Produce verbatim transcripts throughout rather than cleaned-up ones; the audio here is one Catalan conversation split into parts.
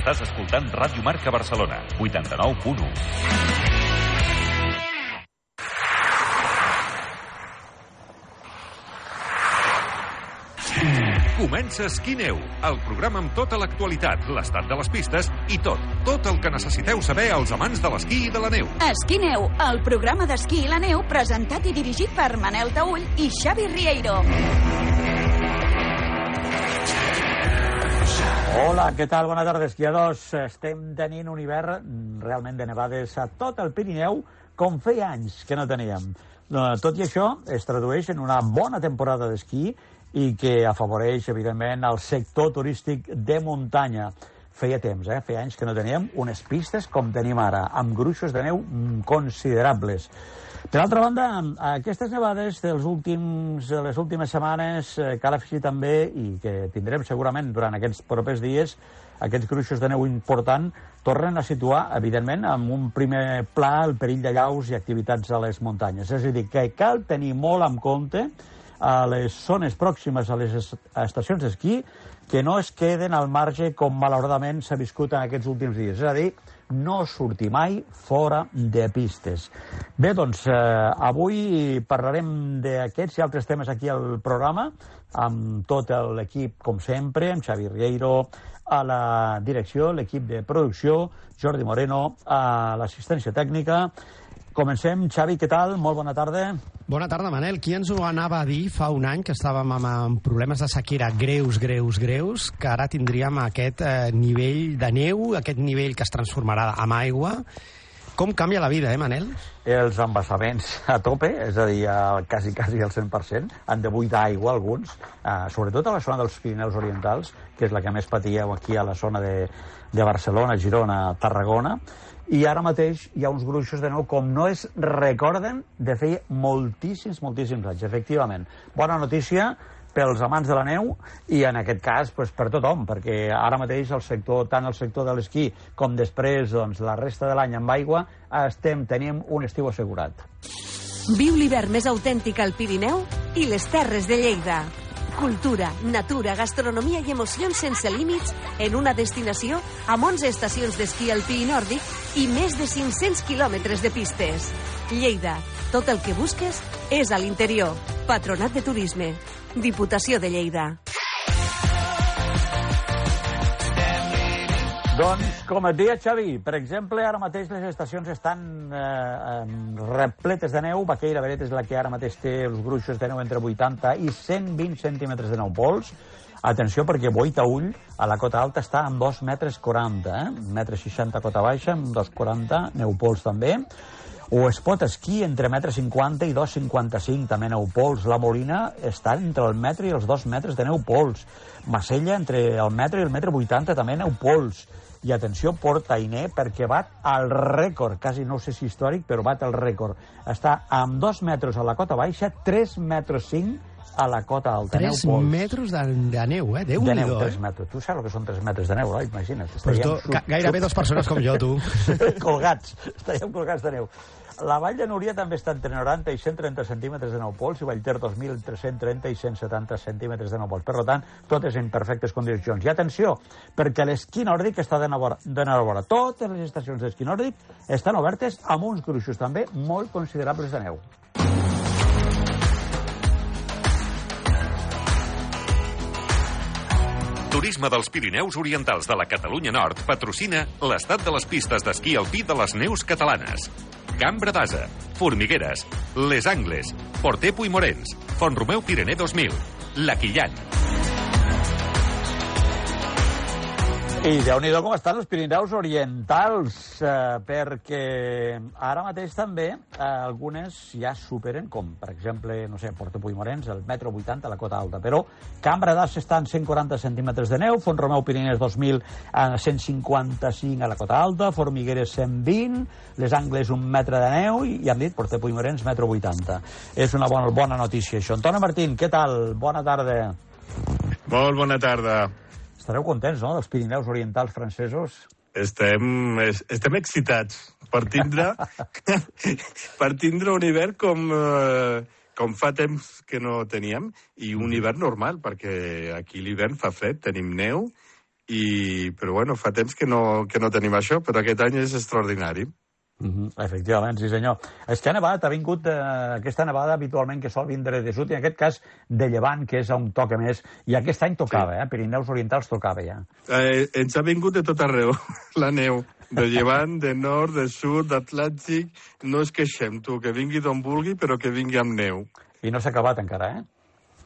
Estàs escoltant Ràdio Marca Barcelona, vuitanta-nou punt u. Comença Esquí-Neu, el programa amb tota l'actualitat, l'estat de les pistes i tot, tot el que necessiteu saber els amants de l'esquí i de la neu. Esquí-Neu, el programa d'esquí i la neu presentat i dirigit per Manel Taüll i Xavi Rieiro. Hola, què tal? Bona tarda, esquiadors. Estem tenint un hivern realment de nevades a tot el Pirineu, com feia anys que no teníem. Tot i això, es tradueix en una bona temporada d'esquí i que afavoreix, evidentment, el sector turístic de muntanya. Feia temps, eh? Feia anys que no teníem unes pistes com tenim ara, amb gruixos de neu considerables. Per altra banda, aquestes nevades dels últims, de les últimes setmanes, eh, cal afegir també, i que tindrem segurament durant aquests propers dies, aquests gruixos de neu important tornen a situar, evidentment, en un primer pla el perill de llaus i activitats a les muntanyes. És a dir, que cal tenir molt en compte a les zones pròximes a les estacions d'esquí que no es queden al marge com malauradament s'ha viscut en aquests últims dies. És a dir, no sortir mai fora de pistes. Bé, doncs, eh, avui parlarem d'aquests i altres temes aquí al programa, amb tot l'equip, com sempre, amb Xavi Rieiro a la direcció, l'equip de producció, Jordi Moreno a l'assistència tècnica. Comencem. Xavi, què tal? Molt bona tarda. Bona tarda, Manel. Qui ens ho anava a dir fa un any que estàvem amb, amb problemes de sequera greus, greus, greus, que ara tindríem aquest eh, nivell de neu, aquest nivell que es transformarà en aigua? Com canvia la vida, eh, Manel? Els embassaments a tope, és a dir, a quasi, quasi al cent per cent, han de buidar aigua alguns, eh, sobretot a la zona dels Pirineus Orientals, que és la que més patíeu aquí a la zona de, de Barcelona, Girona, Tarragona. I ara mateix hi ha uns gruixos de neu com no es recorden de fer moltíssims, moltíssims anys, efectivament. Bona notícia pels amants de la neu i en aquest cas pues, per tothom, perquè ara mateix el sector, tant el sector de l'esquí com després doncs, la resta de l'any amb aigua estem tenim un estiu assegurat. Viu l'hivern més autèntic al Pirineu i les Terres de Lleida. Cultura, natura, gastronomia i emocions sense límits en una destinació amb onze estacions d'esquí alpí i nòrdic i més de cinc-cents quilòmetres de pistes. Lleida, tot el que busques és a l'interior. Patronat de Turisme. Diputació de Lleida. Doncs, com et deia, Xavi, per exemple, ara mateix les estacions estan eh, repletes de neu. Baqueira Beret és la que ara mateix té els gruixos de neu entre vuitanta i cent vint centímetres de neu pols. Atenció, perquè Boitaüll, a la cota alta, està amb dos metres quaranta, eh? un metre seixanta cota baixa, amb dos quaranta, neu pols també. O Espot Esquí, entre metre cinquanta i dos cinquanta-cinc, també neu pols. La Molina està entre el metre i els dos metres de neu pols. Macella, entre el metre i el metre vuitanta, també neu pols. I atenció, Port Ainé, perquè bat el rècord, quasi no sé si històric, però bat el rècord. Està amb dos metres a la cota baixa, tres metres cinc a la cota alta. tres metres de, de neu, eh? Déu-n'hi-do, de neu, eh? tres metres. Tu saps el que són tres metres de neu, eh? Imagina't. Pues tu, sub... Gairebé dues persones com jo, tu. Colgats, estaríem colgats de neu. La Vall de Núria també està entre noranta i cent trenta centímetres de neu pols i Vallter dos mil entre cent trenta i cent setanta centímetres de neu pols. Per tant, totes en perfectes condicions. I atenció, perquè l'esquí nòrdic està de n'enhorabona. Totes les estacions d'esquí nòrdic estan obertes amb uns gruixos també molt considerables de neu. Turisme dels Pirineus Orientals de la Catalunya Nord patrocina l'estat de les pistes d'esquí alpí de les neus catalanes. Cambra d'Asa, Formigueres, Les Angles, Porter Puigmorens, Font-romeu Pirener dos mil, La Quillan. I Déu-n'hi-do com estan els Pirineus Orientals, eh, perquè ara mateix també eh, algunes ja superen, com per exemple, no sé, Porter Puigmorens, el metro vuitanta a la cota alta, però Cambra d'As està en cent quaranta centímetres de neu, Font-romeu Piriners dos mil a cent cinquanta-cinc a la cota alta, Formigueres cent vint, Les Angles un metre de neu i, ja hem dit, Porter Puigmorens metro vuitanta. És una bona, bona notícia això. Antoni Martín, què tal? Bona tarda. Molt bona tarda. Estareu contents, no?, dels Pirineus Orientals francesos? Estem, estem excitats per tindre, per tindre un hivern com, eh, com fa temps que no teníem, i un hivern normal, perquè aquí l'hivern fa fred, tenim neu, i, però bueno, fa temps que no, que no tenim això, però aquest any és extraordinari. Uh-huh. Efectivament, sí senyor. És que ha nevat, ha vingut eh, aquesta nevada habitualment que sol vindre de sud, i en aquest cas de llevant, que és on toca més, i aquest any tocava, sí. eh? Pirineus Orientals tocava ja. Eh, ens ha vingut de tot arreu, la neu, de llevant, de nord, de sud, d'Atlàntic, no es queixem, tu, que vingui d'on vulgui, però que vingui amb neu. I no s'ha acabat encara, eh?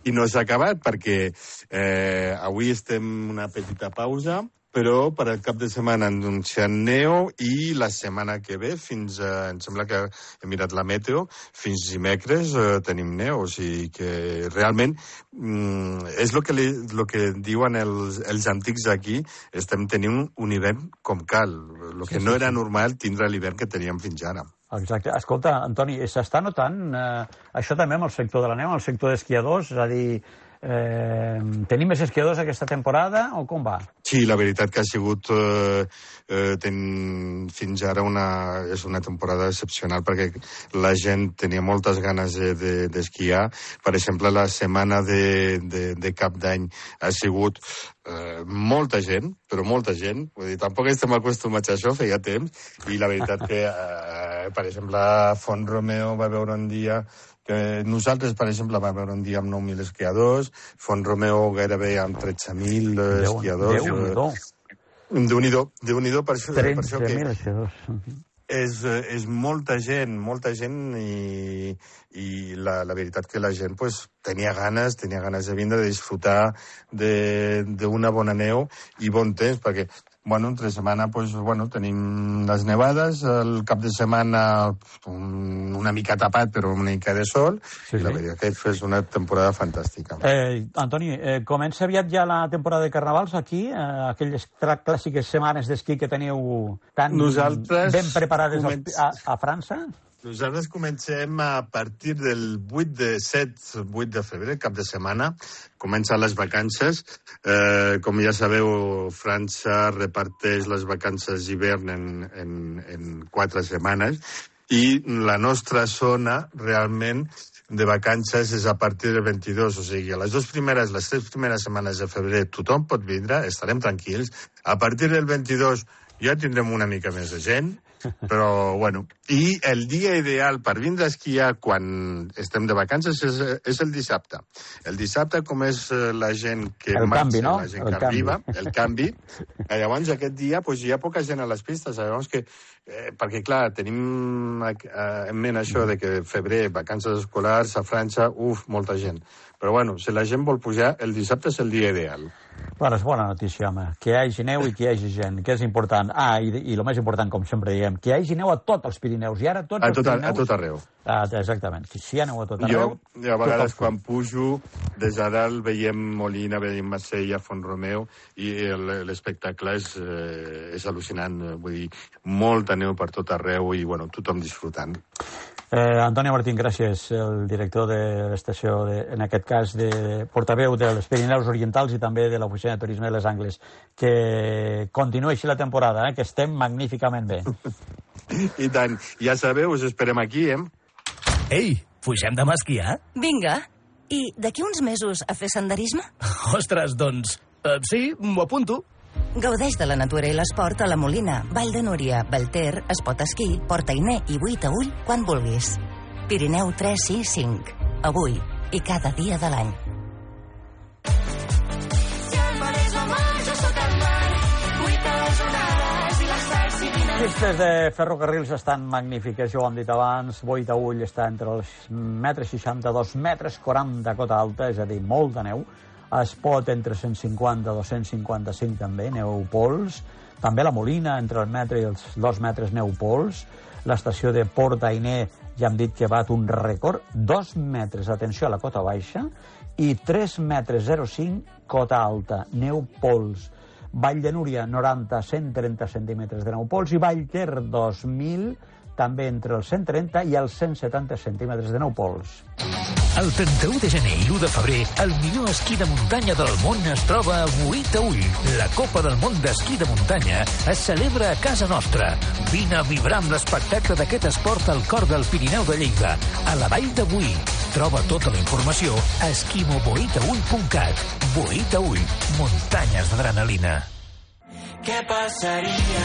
I no s'ha acabat perquè eh, avui estem una petita pausa, però per al cap de setmana han anunciat neu i la setmana que ve, fins a, em sembla que he mirat la meteo, fins dimecres eh, tenim neu, o sigui que realment mm, és el que, li, lo que diuen els, els antics aquí, estem tenint un hivern com cal, el que sí, no sí, era sí. normal tindre l'hivern que teníem fins ara. Exacte. Escolta, Antoni, s'està notant eh, això també amb el sector de la neu, amb el sector d'esquiadors, és a dir, Eh, tenim més esquiadors aquesta temporada o com va? Sí, la veritat que ha sigut eh, eh, ten, fins ara una, és una temporada excepcional perquè la gent tenia moltes ganes d'esquiar. De, de per exemple, la setmana de, de, de cap d'any ha sigut eh, molta gent, però molta gent. Vull dir, tampoc estem acostumats a això, feia temps, i la veritat que, eh, per exemple, Font Romeu va veure un dia que nosaltres, per exemple, vam veure un dia amb nou mil esquiadors, Font Romeu gairebé amb tretze mil esquiadors. Déu-n'hi-do. Déu-n'hi-do, Déu-n'hi-do per això, per això que... tretze mil esquiadors. És, és molta gent, molta gent, i, i la, la veritat que la gent pues, tenia ganes, tenia ganes de vindre, de disfrutar d'una bona neu i bon temps, perquè bueno, entre setmana pues, bueno, tenim les nevades, el cap de setmana un, una mica tapat, però una mica de sol, sí, i la sí. veritat que és una temporada fantàstica. Eh, Antoni, eh, comença aviat ja la temporada de carnavals aquí, eh, aquelles clàssiques setmanes d'esquí que teniu tan Nosaltres ben preparades començ... a, a França? Nosaltres comencem a partir del vuit de set, vuit de febrer, cap de setmana. Comencen les vacances. Eh, com ja sabeu, França reparteix les vacances d'hivern en, en, en quatre setmanes i la nostra zona realment de vacances és a partir del vint-i-dos, o sigui, a les dues primeres, les tres primeres setmanes de febrer tothom pot vindre, estarem tranquils. A partir del vint-i-dos ja tindrem una mica més de gent, però, bueno, i el dia ideal per vindre a esquiar quan estem de vacances és, és el dissabte. El dissabte, com és la gent que el marxa, canvi, no? la gent el que canvi. arriba, el canvi, llavors aquest dia pues, hi ha poca gent a les pistes, llavors que, eh, perquè clar, tenim eh, en ment això de que febrer, vacances escolars a França, uf, molta gent. Però bueno, si la gent vol pujar, el dissabte és el dia ideal. Bueno, és bona notícia, home. Que hi hagi neu i que hi hagi gent, que és important. Ah, i, i el més important, com sempre diem, que hi hagi neu a tots els Pirineus. I ara tots a els tot, Pirineus... A tot arreu. Ah, exactament. Si hi ha neu a tot arreu... Jo, jo a vegades, quan pujo, des de dalt veiem Molina, veiem Marsella, Font Romeu, i l'espectacle és, eh, és al·lucinant. Vull dir, molta neu per tot arreu i, bueno, tothom disfrutant. Eh, Antoni Martín, gràcies, el director de l'estació, de, en aquest cas, de portaveu dels Pirineus Orientals i també de l'Oficina de Turisme de les Angles. Que continuï així la temporada, eh, que estem magníficament bé. I tant. Ja sabeu, us esperem aquí, eh? Ei, pugem demà a esquiar? Vinga. I d'aquí uns mesos a fer senderisme? Ostres, doncs, eh, sí, m'ho apunto. Gaudeix de la natura i l'esport a la Molina, Vall de Núria, Belter, Espot Esquí, Portainer i Buit a Ull quan vulguis. Pirineu tres sis cinc. Avui i cada dia de l'any. Pistes de ferrocarrils estan magnífiques, ja ho hem dit abans. Buit a Ull està entre els metres seixanta-dos, metres quaranta cota alta, és a dir, molt de neu. Espot entre cent cinquanta i dos-cents cinquanta-cinc també, neu pols. També la Molina entre el metre i els dos metres neu pols. L'estació de Portainer ja hem dit que bat un rècord, dos metres, atenció, a la cota baixa, i tres metres zero coma cinc cota alta, neu pols. Vall de Núria, noranta a cent trenta centímetres de neu pols, i Vallter, dos mil, també entre els cent trenta i els cent setanta centímetres de neu pols. El trenta-u de gener i l'u de febrer, el millor esquí de muntanya del món es troba a Buit a Ull. La Copa del Món d'Esquí de Muntanya es celebra a casa nostra. Vine a vibrar amb l'espectacle d'aquest esport al cor del Pirineu de Lleida, a la Vall de Boí. Troba tota la informació a esquimo boit a ull punt cat. Buit a Ull, muntanyes d'adrenalina. què passaria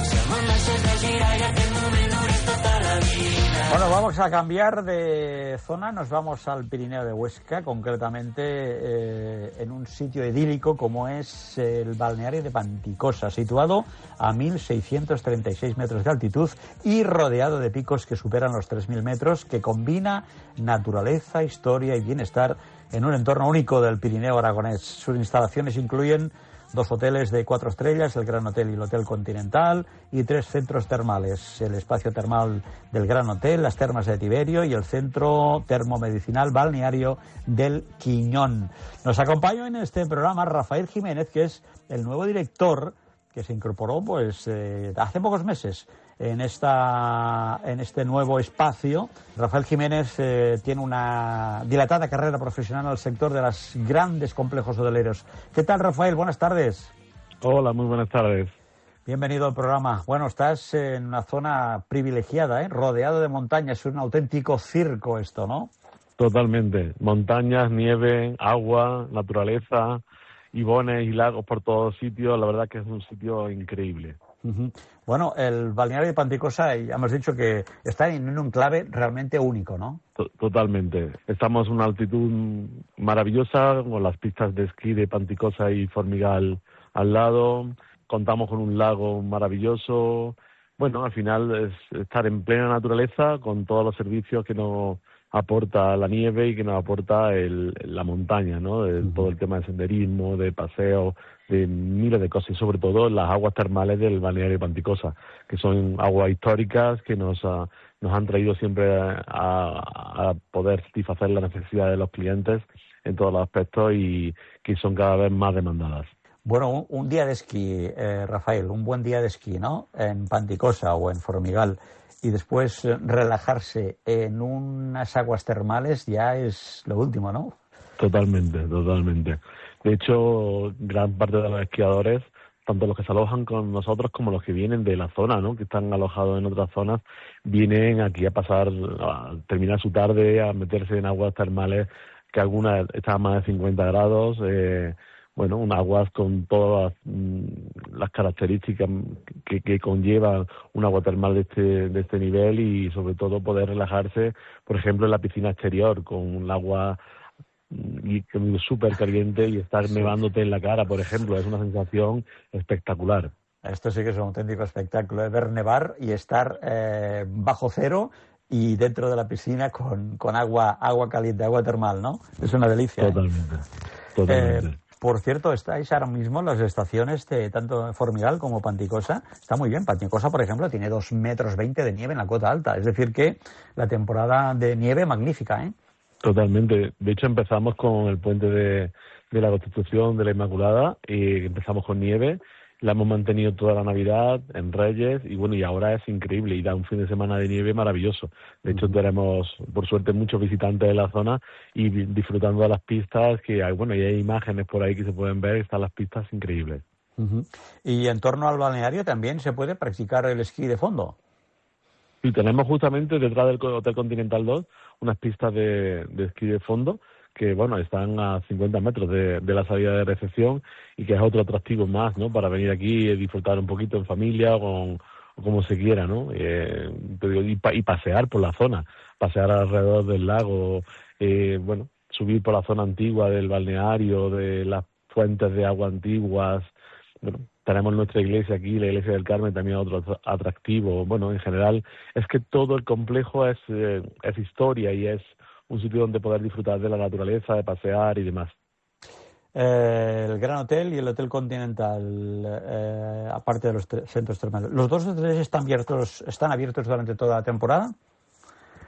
si el món deixés de girar i aquest moment durés tota la vida. Bueno, vamos a cambiar de zona, nos vamos al Pirineo de Huesca, concretamente eh, en un sitio idílico como es el balneario de Panticosa, situado a mil seiscientos treinta y seis metros de altitud y rodeado de picos que superan los tres mil metros, que combina naturaleza, historia y bienestar en un entorno único del Pirineo aragonés. Sus instalaciones incluyen dos hoteles de cuatro estrellas, el Gran Hotel y el Hotel Continental, y tres centros termales, el espacio termal del Gran Hotel, las termas de Tiberio y el centro termomedicinal balneario del Quiñón. Nos acompaña en este programa Rafael Jiménez, que es el nuevo director que se incorporó pues eh, hace pocos meses en esta en este nuevo espacio. Rafael Jiménez eh, tiene una dilatada carrera profesional en el sector de los grandes complejos hoteleros. ¿Qué tal, Rafael? Buenas tardes. Hola, muy buenas tardes. Bienvenido al programa. Bueno, estás en una zona privilegiada, ¿eh? Rodeado de montañas. Es un auténtico circo esto, ¿no? Totalmente. Montañas, nieve, agua, naturaleza, ibones y lagos por todos sitios. La verdad que es un sitio increíble. Uh-huh. Bueno, el balneario de Panticosa, ya hemos dicho que está en un enclave realmente único, ¿no? Totalmente. Estamos a una altitud maravillosa, con las pistas de esquí de Panticosa y Formigal al lado. Contamos con un lago maravilloso. Bueno, al final es estar en plena naturaleza con todos los servicios que nos aporta la nieve y que nos aporta el, la montaña, ¿no? De, uh-huh. Todo el tema de senderismo, de paseo, de miles de cosas, y sobre todo las aguas termales del balneario de Panticosa, que son aguas históricas que nos, uh, nos han traído siempre a, a poder satisfacer las necesidades de los clientes en todos los aspectos y que son cada vez más demandadas. Bueno, un, un día de esquí, eh, Rafael, un buen día de esquí, ¿no? En Panticosa o en Formigal, y después relajarse en unas aguas termales ya es lo último, ¿no? Totalmente, totalmente. De hecho, gran parte de los esquiadores, tanto los que se alojan con nosotros como los que vienen de la zona, ¿no? Que están alojados en otras zonas, vienen aquí a pasar, a terminar su tarde, a meterse en aguas termales que algunas están a más de cincuenta grados, eh, bueno, un aguas con todas las características que, que conlleva un agua termal de este, de este nivel, y sobre todo poder relajarse, por ejemplo, en la piscina exterior con un agua súper caliente y estar sí. nevándote en la cara, por ejemplo. Es una sensación espectacular. Esto sí que es un auténtico espectáculo, ¿eh? Ver nevar y estar eh, bajo cero y dentro de la piscina con, con agua agua caliente, agua termal, ¿no? Es una delicia. Totalmente, ¿eh? totalmente. Eh, Por cierto, estáis ahora mismo en las estaciones de tanto Formigal como Panticosa. Está muy bien. Panticosa, por ejemplo, tiene dos metros veinte de nieve en la cota alta. Es decir que la temporada de nieve magnífica, ¿eh? Totalmente. De hecho, empezamos con el puente de, de la Constitución de la Inmaculada y empezamos con nieve. La hemos mantenido toda la Navidad, en Reyes, y bueno, y ahora es increíble y da un fin de semana de nieve maravilloso. De hecho, tenemos, por suerte, muchos visitantes de la zona y disfrutando de las pistas, que hay, bueno, y hay imágenes por ahí que se pueden ver, están las pistas increíbles. Uh-huh. Y en torno al balneario también se puede practicar el esquí de fondo. Sí, tenemos justamente detrás del Hotel Continental dos unas pistas de, de esquí de fondo, que bueno, están a cincuenta metros de, de la salida de recepción, y que es otro atractivo más, ¿no? Para venir aquí y disfrutar un poquito en familia o, con, o como se quiera, ¿no? Eh, y, pa, y pasear por la zona, pasear alrededor del lago, eh, bueno, subir por la zona antigua del balneario, de las fuentes de agua antiguas. Bueno, tenemos nuestra iglesia aquí, la iglesia del Carmen, también otro atractivo. Bueno, en general es que todo el complejo es, eh, es historia y es un sitio donde poder disfrutar de la naturaleza, de pasear y demás. Eh, el Gran Hotel y el Hotel Continental, eh, aparte de los centros termales, ¿los dos hoteles están abiertos, están abiertos durante toda la temporada?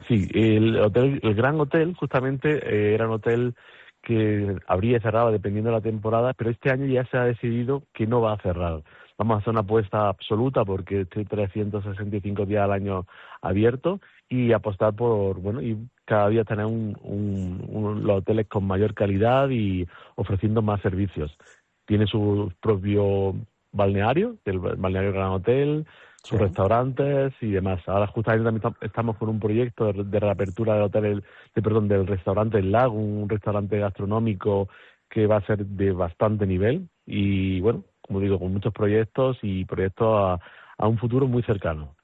Sí, el hotel, el Gran Hotel justamente eh, era un hotel que abría y cerraba dependiendo de la temporada, pero este año ya se ha decidido que no va a cerrar. Vamos a hacer una apuesta absoluta porque estoy trescientos sesenta y cinco días al año abierto, y apostar por, bueno, y cada día tener un, un, un, los hoteles con mayor calidad y ofreciendo más servicios. Tiene su propio balneario, el balneario Gran Hotel, sus sí. restaurantes y demás. Ahora justamente también estamos con un proyecto de, de reapertura del hotel, de, perdón, del restaurante El Lago, un restaurante gastronómico que va a ser de bastante nivel, y bueno, como digo, con muchos proyectos y proyectos a, a un futuro muy cercano.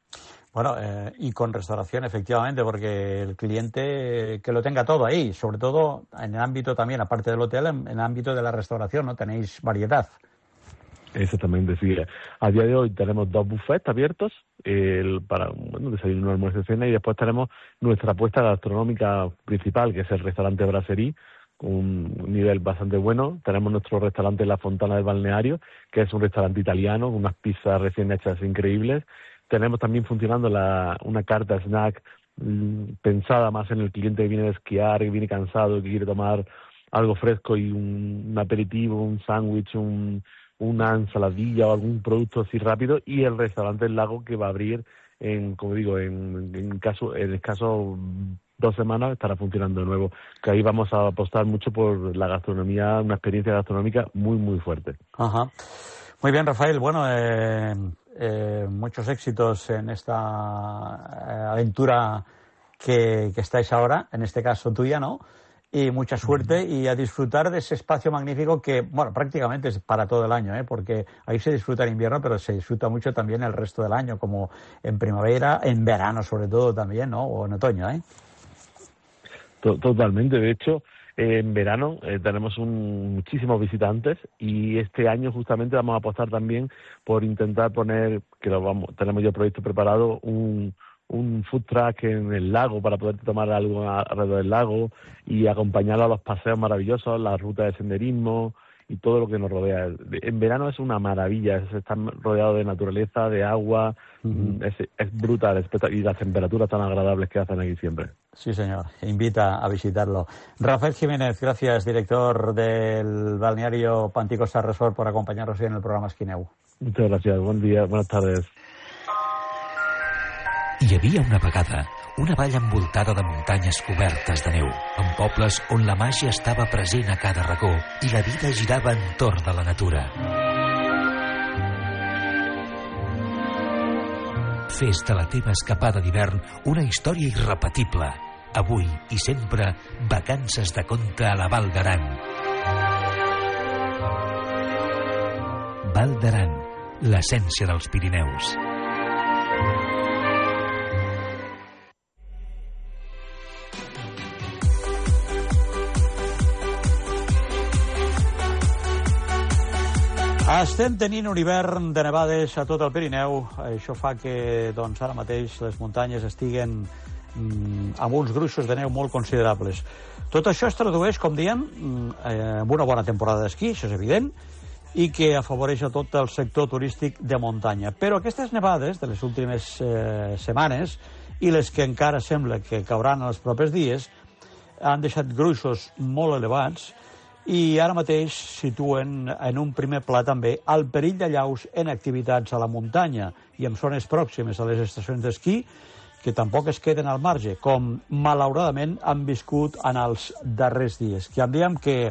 Bueno, eh, y con restauración, efectivamente, porque el cliente eh, que lo tenga todo ahí, sobre todo en el ámbito también, aparte del hotel, en, en el ámbito de la restauración, ¿no? Tenéis variedad. Exactamente, sí. A día de hoy tenemos dos buffets abiertos el, para bueno, desayuno, almuerzo y cena, y después tenemos nuestra apuesta gastronómica principal, que es el restaurante Brasserie, con un nivel bastante bueno. Tenemos nuestro restaurante La Fontana del Balneario, que es un restaurante italiano, con unas pizzas recién hechas increíbles. Tenemos también funcionando la, una carta snack mmm, pensada más en el cliente que viene de esquiar, que viene cansado, que quiere tomar algo fresco y un, un aperitivo, un sándwich, un, una ensaladilla o algún producto así rápido. Y el restaurante El Lago, que va a abrir en, como digo, en, en caso, en escaso dos semanas estará funcionando de nuevo. Que ahí vamos a apostar mucho por la gastronomía, una experiencia gastronómica muy, muy fuerte. Ajá. Muy bien, Rafael. Bueno, eh, eh, muchos éxitos en esta eh, aventura que, que estáis ahora, en este caso tuya, ¿no? Y mucha suerte y a disfrutar de ese espacio magnífico que, bueno, prácticamente es para todo el año, ¿eh? Porque ahí se disfruta en invierno, pero se disfruta mucho también el resto del año, como en primavera, en verano sobre todo también, ¿no? O en otoño, ¿eh? Totalmente. De hecho, eh, en verano eh, tenemos un, muchísimos visitantes y este año justamente vamos a apostar también por intentar poner, que lo vamos, tenemos ya el proyecto preparado, un un food truck en el lago para poder tomar algo alrededor del lago y acompañarlo a los paseos maravillosos, las rutas de senderismo y todo lo que nos rodea. En verano es una maravilla, es estar rodeado de naturaleza, de agua, uh-huh. es, es brutal, y las temperaturas tan agradables que hacen aquí siempre. Sí, señor, invita a visitarlo. Rafael Jiménez, gracias, director del balneario Panticosa Resort, por acompañarnos hoy en el programa Esquineu. Muchas gracias, buen día, buenas tardes. Hi havia una vegada una vall envoltada de muntanyes cobertes de neu, amb pobles on la màgia estava present a cada racó i la vida girava entorn de la natura. Fes de la teva escapada d'hivern una història irrepetible. Avui i sempre, vacances de conte a la Val d'Aran. Val d'Aran, l'essència dels Pirineus. Estem tenint un hivern de nevades a tot el Pirineu. Això fa que doncs, ara mateix les muntanyes estiguen mm, amb uns gruixos de neu molt considerables. Tot això es tradueix, com diem, eh, en una bona temporada d'esquí, això és evident, i que afavoreix a tot el sector turístic de muntanya. Però aquestes nevades de les últimes eh, setmanes i les que encara sembla que cauran els propers dies han deixat gruixos molt elevats i ara mateix situen en un primer pla també el perill d'allaus en activitats a la muntanya i en zones pròximes a les estacions d'esquí que tampoc es queden al marge, com malauradament han viscut en els darrers dies. Que diem que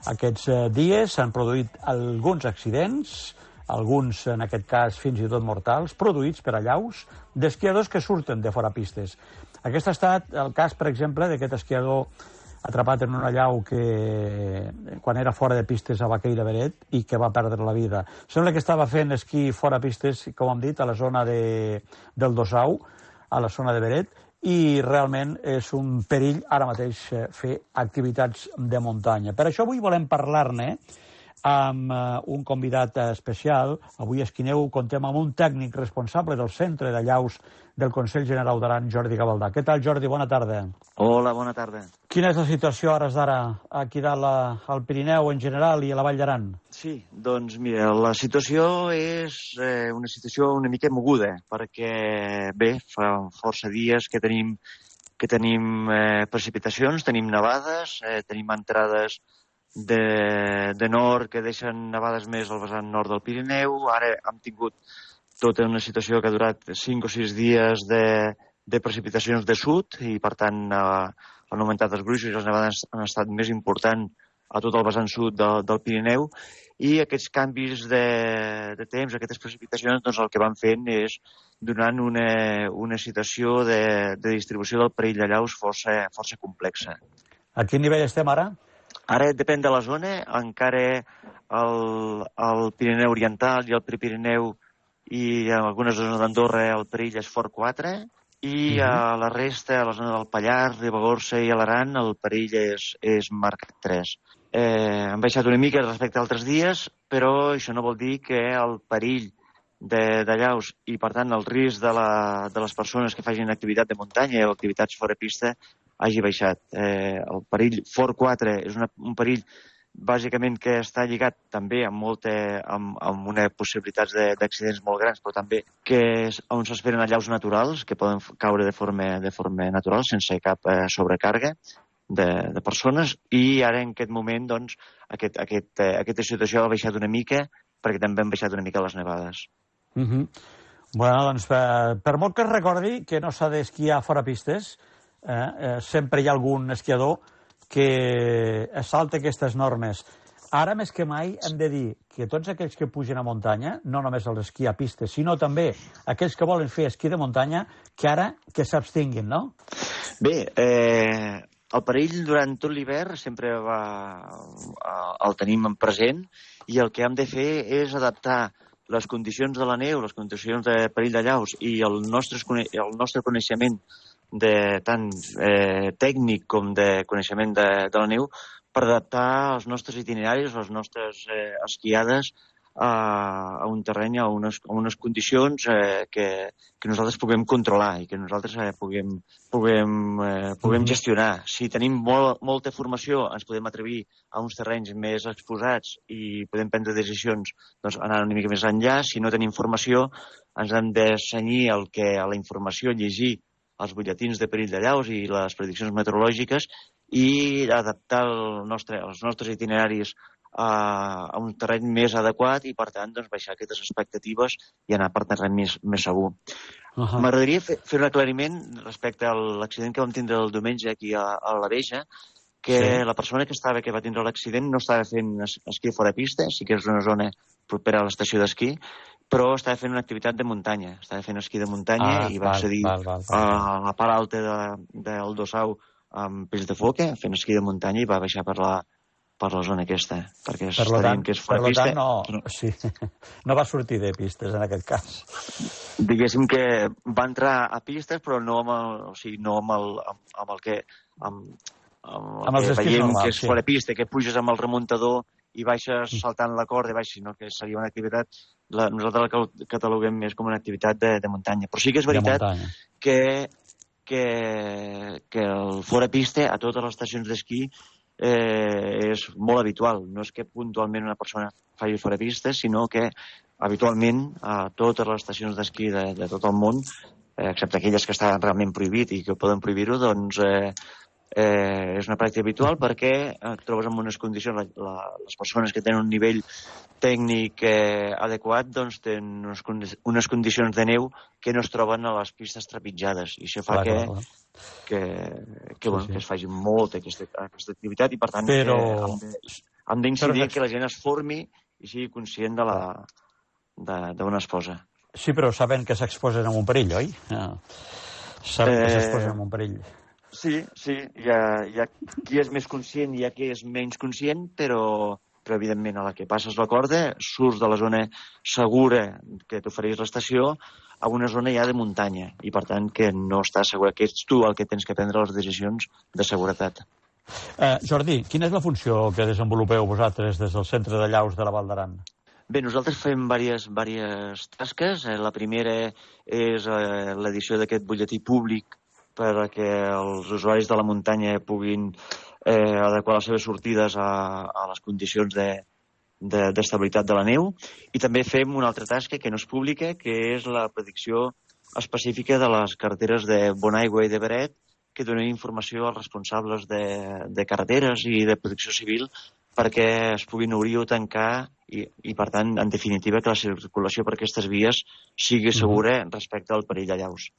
aquests dies s'han produït alguns accidents, alguns en aquest cas fins i tot mortals, produïts per allaus d'esquiadors que surten de fora pistes. Aquest ha estat el cas, per exemple, d'aquest esquiador atrapat en un allau que quan era fora de pistes a Baqueira Beret i que va perdre la vida. Sembla que estava fent esquí fora pistes, com hem dit, a la zona de, del Dossau, a la zona de Beret, i realment és un perill ara mateix fer activitats de muntanya. Per això avui volem parlar-ne amb un convidat especial. Avui a Esquineu contem amb un tècnic responsable del Centre d'Allaus del Consell General d'Aran, Jordi Gavaldà. Què tal, Jordi? Bona tarda. Hola, bona tarda. Quina és la situació a hores d'ara aquí dalt al Pirineu en general i a la Vall d'Aran? Sí, doncs mira, la situació és eh, una situació una mica moguda, perquè bé, fa força dies que tenim, que tenim eh, precipitacions, tenim nevades, eh, tenim entrades de, de nord que deixen nevades més al vessant nord del Pirineu. Ara hem tingut tota una situació que ha durat cinc o sis dies de, de precipitacions de sud i, per tant, eh, han augmentat els gruixos i les nevades han estat més importants a tot el vessant sud de, del Pirineu, i aquests canvis de, de temps, aquestes precipitacions, doncs el que van fent és donant una, una situació de, de distribució del perill d'allaus força, força complexa. A quin nivell estem ara? Ara depèn de la zona, encara el, el Pirineu Oriental i el Prepirineu i en algunes zones d'Andorra el perill és fort quatre, i a la resta, a la zona del Pallars, Ribagorça i Aran, el perill és, és marcat tres. Eh, han baixat una mica respecte a altres dies, però això no vol dir que el perill de, de llaus i, per tant, el risc de, la, de les persones que facin activitat de muntanya o activitats fora pista hagi baixat. Eh, el perill fort quatre és una, un perill bàsicament que està lligat també amb, molta, amb, amb una possibilitats d'accidents molt grans, però també que és on s'esperen allaus naturals, que poden caure de forma, de forma natural, sense cap eh, sobrecàrrega de, de persones, i ara en aquest moment doncs, aquest, aquest, eh, aquesta situació ha baixat una mica, perquè també han baixat una mica les nevades. Uh -huh. Bueno, doncs, per, per molt que es recordi que no s'ha d'esquiar fora pistes, eh, eh, sempre hi ha algun esquiador que es salta aquestes normes. Ara, més que mai, hem de dir que tots aquells que pugen a muntanya, no només els esquí a pistes, sinó també aquells que volen fer esquí de muntanya, que ara que s'abstinguin, no? Bé, eh, el perill durant tot l'hivern sempre va, el tenim present, i el que hem de fer és adaptar les condicions de la neu, les condicions de perill de llaus i el nostre, el nostre coneixement de tant eh, tècnic com de coneixement de, de la neu per adaptar els nostres itineraris, les nostres eh, esquiades a, a un terreny, a unes, a unes condicions eh, que, que nosaltres puguem controlar i que nosaltres eh, puguem, puguem, eh, puguem gestionar. Si tenim molt, molta formació, ens podem atrevir a uns terrenys més exposats i podem prendre decisions doncs, anar una mica més enllà. Si no tenim formació, ens hem de cenyir el que, a la informació, llegir els butlletins de perill de llaus i les prediccions meteorològiques i adaptar el nostre, els nostres itineraris a, a un terreny més adequat i, per tant, doncs, baixar aquestes expectatives i anar per terreny més, més segur. Uh-huh. M'agradaria fer, fer un aclariment respecte a l'accident que vam tindre el diumenge aquí a, a la Veja, que sí. La persona que estava que va tindre l'accident no estava fent esquí fora pista, sí que és una zona propera a l'estació d'esquí, però estava fent una activitat de muntanya. Estava fent esquí de muntanya ah, i va val, accedir val, val, val. a la part alta de, del Dossau amb peix de foca, fent esquí de muntanya, i va baixar per la, per la zona aquesta, perquè per està dient que és fora per pista. Per tant, no, sí, no va sortir de pistes en aquest cas. Diguéssim que va entrar a pistes, però no amb el, o sigui, no amb el, amb, amb el que... Amb, amb, amb els que veiem normals, que és sí. Fora pista, que puges amb el remuntador i baixes saltant la corda, i baixes, sinó que seria una activitat, la, nosaltres la cataloguem més com una activitat de, de muntanya. Però sí que és veritat que, que, que el fora pista a totes les estacions d'esquí eh, és molt habitual. No és que puntualment una persona faci fora pista, sinó que habitualment a totes les estacions d'esquí de, de tot el món, eh, excepte aquelles que estan realment prohibit i que poden prohibir-ho, doncs... Eh, Eh, és una pràctica habitual perquè et trobes en unes condicions, la, la, les persones que tenen un nivell tècnic eh, adequat doncs tenen unes, unes condicions de neu que no es troben a les pistes trepitjades, i això fa clar, que, clar. que, que, bueno, sí, sí. que es faci molta aquesta, aquesta activitat, i per tant Però... hem d'incidir que la gent es formi i sigui conscient de la d'on es posa. Sí, però saben que s'exposen a un perill, oi? No. Saben eh... que s'exposen a un perill. Sí, sí, hi ha, hi ha qui és més conscient i hi ha qui és menys conscient, però, però evidentment a la que passes la corda surts de la zona segura que t'ofereix l'estació a una zona ja de muntanya, i per tant que no estàs segur, que ets tu el que tens que prendre les decisions de seguretat. Eh, Jordi, quina és la funció que desenvolupeu vosaltres des del Centre de Llaus de la Val d'Aran? Bé, nosaltres fem diverses, diverses tasques. La primera és eh, l'edició d'aquest butlletí públic perquè els usuaris de la muntanya puguin eh, adequar les seves sortides a, a les condicions de, de, d'estabilitat de la neu. I també fem una altra tasca que no és pública, que és la predicció específica de les carreteres de Bonaigua i de Beret, que donen informació als responsables de, de carreteres i de protecció civil perquè es puguin obrir o tancar i, i, per tant, en definitiva, que la circulació per aquestes vies sigui segura respecte al perill de llaus.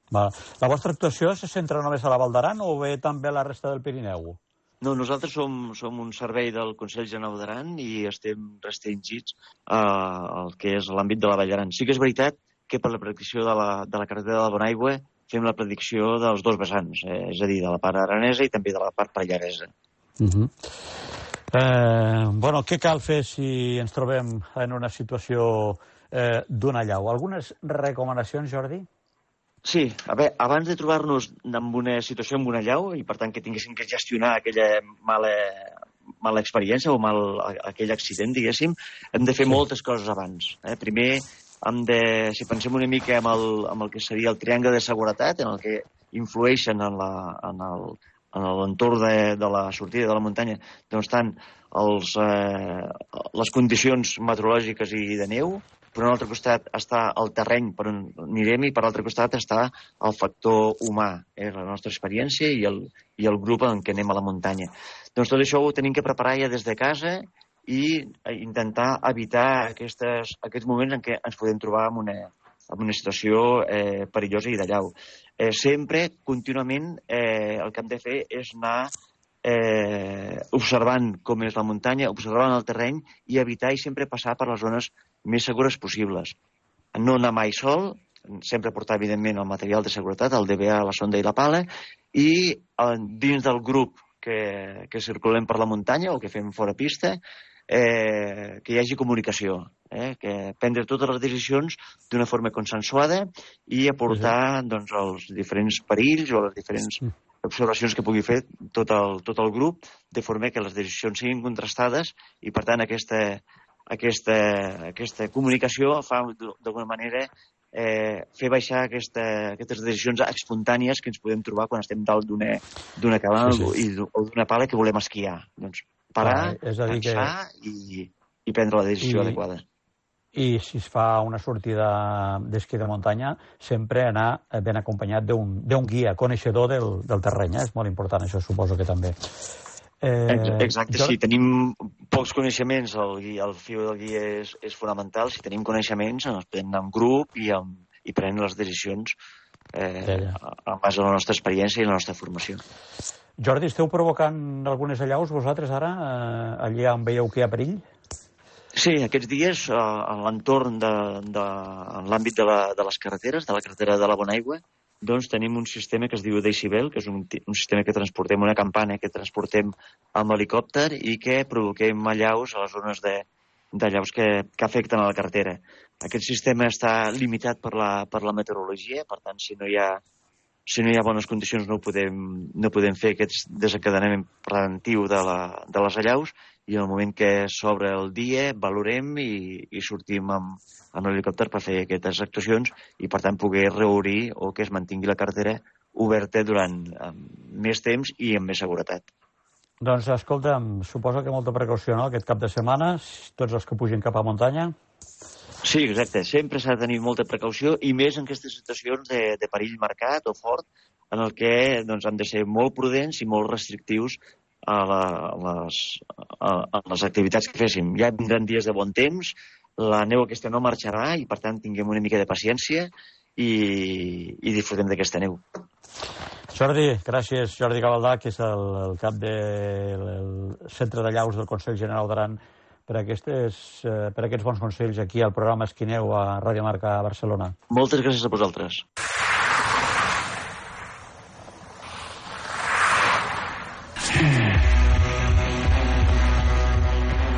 Va. La vostra actuació se centra només a la Val d'Aran o bé també a la resta del Pirineu? No, nosaltres som, som un servei del Consell General d'Aran i estem restringits al que és l'àmbit de la Vall d'Aran. Sí que és veritat que per la predicció de la, de la carretera de la Bonaigua fem la predicció dels dos vessants, eh, és a dir, de la part aranesa i també de la part pallaresa. Uh-huh. Eh, bueno, què cal fer si ens trobem en una situació eh, d'una llau? Algunes recomanacions, Jordi? Sí, a veure, abans de trobar-nos en una situació amb una llau, i per tant que tinguéssim que gestionar aquella mala, mala experiència o mal, aquell accident, diguéssim, hem de fer sí. moltes coses abans. Eh? Primer, hem de, si pensem una mica amb el, amb el que seria el triangle de seguretat, en el que influeixen en la, en el, en l'entorn de, de la sortida de la muntanya, doncs estan els, eh, les condicions meteorològiques i de neu, per un altre costat està el terreny per on anirem i per l'altre costat està el factor humà, eh, la nostra experiència i el, i el grup en què anem a la muntanya. Doncs tot això ho tenim que preparar ja des de casa i intentar evitar aquestes, aquests moments en què ens podem trobar en una, en una situació eh, perillosa i de llau. Eh, sempre, contínuament, eh, el que hem de fer és anar eh, observant com és la muntanya, observant el terreny i evitar i sempre passar per les zones més segures possibles. No anar mai sol, sempre portar, evidentment, el material de seguretat, el D B A, la sonda i la pala, i eh, dins del grup que, que circulem per la muntanya o que fem fora pista, eh, que hi hagi comunicació, eh, que prendre totes les decisions d'una forma consensuada i aportar doncs, els diferents perills o les diferents observacions que pugui fer tot el, tot el grup, de forma que les decisions siguin contrastades i, per tant, aquesta, aquesta, aquesta comunicació fa, d'alguna manera, eh, fer baixar aquesta, aquestes decisions espontànies que ens podem trobar quan estem dalt d'una cabana sí, sí. I, o d'una pala que volem esquiar. Doncs parar, ah, és a dir pensar que... i, i prendre la decisió I... adequada. I si es fa una sortida d'esquí de muntanya, sempre anar ben acompanyat d'un guia coneixedor del, del terreny. Eh? És molt important, això suposo que també. Eh, Exacte, jo... si tenim pocs coneixements, el, guia, el fiu del guia és, és fonamental. Si tenim coneixements, ens podem anar en grup i, amb, i prendre les decisions eh, ja, ja. en base a la nostra experiència i la nostra formació. Jordi, esteu provocant algunes allaus vosaltres ara, eh, allà on veieu que hi ha perill? Sí, aquests dies, eh, en l'entorn de, de en l'àmbit de, la, de les carreteres, de la carretera de la Bonaigua, doncs tenim un sistema que es diu Decibel, que és un, un sistema que transportem, una campana que transportem amb helicòpter i que provoquem allaus a les zones de, d'allaus que, que afecten a la carretera. Aquest sistema està limitat per la, per la meteorologia, per tant, si no hi ha, si no hi ha bones condicions no podem, no podem fer aquest desencadenament preventiu de, la, de les allaus, i en el moment que s'obre el dia valorem i, i sortim amb, amb l'helicòpter per fer aquestes actuacions i, per tant, poder reobrir o que es mantingui la carretera oberta durant um, més temps i amb més seguretat. Doncs, escolta, suposo que molta precaució, no?, aquest cap de setmana, tots els que pugin cap a muntanya. Sí, exacte. Sempre s'ha de tenir molta precaució i més en aquestes situacions de, de perill marcat o fort, en el que doncs, hem de ser molt prudents i molt restrictius a, la, a, les, a, a les activitats que féssim. Ja vindran dies de bon temps, la neu aquesta no marxarà i, per tant, tinguem una mica de paciència i, i disfrutem d'aquesta neu. Jordi, gràcies. Jordi Gavaldà, que és el, el cap del de, Centre de Llaus del Consell General d'Aran, per, aquestes, eh, per aquests bons consells aquí al programa Esquineu a Ràdio Marca Barcelona. Moltes gràcies a vosaltres.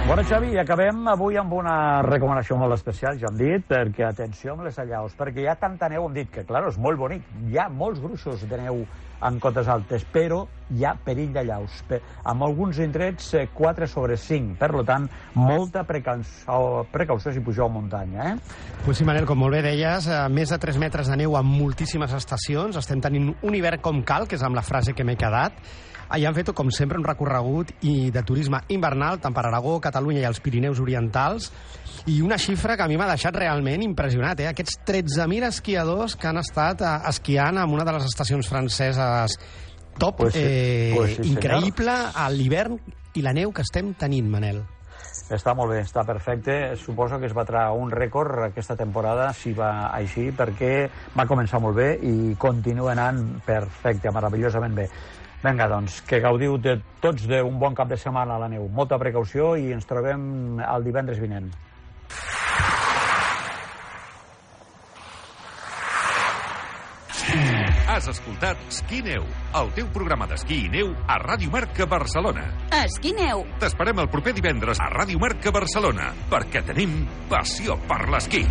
Bona, Xavi, i acabem avui amb una recomanació molt especial, ja hem dit, perquè atenció amb les allaus, perquè hi ha tanta neu, hem dit que, clar, és molt bonic, hi ha molts gruixos de neu en cotes altes, però hi ha perill d'allaus. En alguns indrets, quatre sobre cinc, per tant, molta precaució, precaució si pugeu a muntanya, eh? Pues sí, Manel, com molt bé deies, més de tres metres de neu en moltíssimes estacions, estem tenint un hivern com cal, que és amb la frase que m'he quedat. Allà han fet, com sempre, un recorregut i de turisme invernal, tant per Aragó, Catalunya i els Pirineus Orientals, i una xifra que a mi m'ha deixat realment impressionat, eh? Aquests tretze mil esquiadors que han estat eh, esquiant en una de les estacions franceses top, pues sí, eh, pues sí, increïble, a l'hivern i la neu que estem tenint, Manel. Està molt bé, està perfecte. Suposo que es batrà un rècord aquesta temporada, si va així, perquè va començar molt bé i continua anant perfecte, meravellosament bé. Vinga, doncs, que gaudiu de tots d'un bon cap de setmana a la neu. Molta precaució i ens trobem el divendres vinent. Mm. Has escoltat Esquí Neu, el teu programa d'esquí i neu a Ràdio Marca Barcelona. Esquí Neu. T'esperem el proper divendres a Ràdio Marca Barcelona, perquè tenim passió per l'esquí.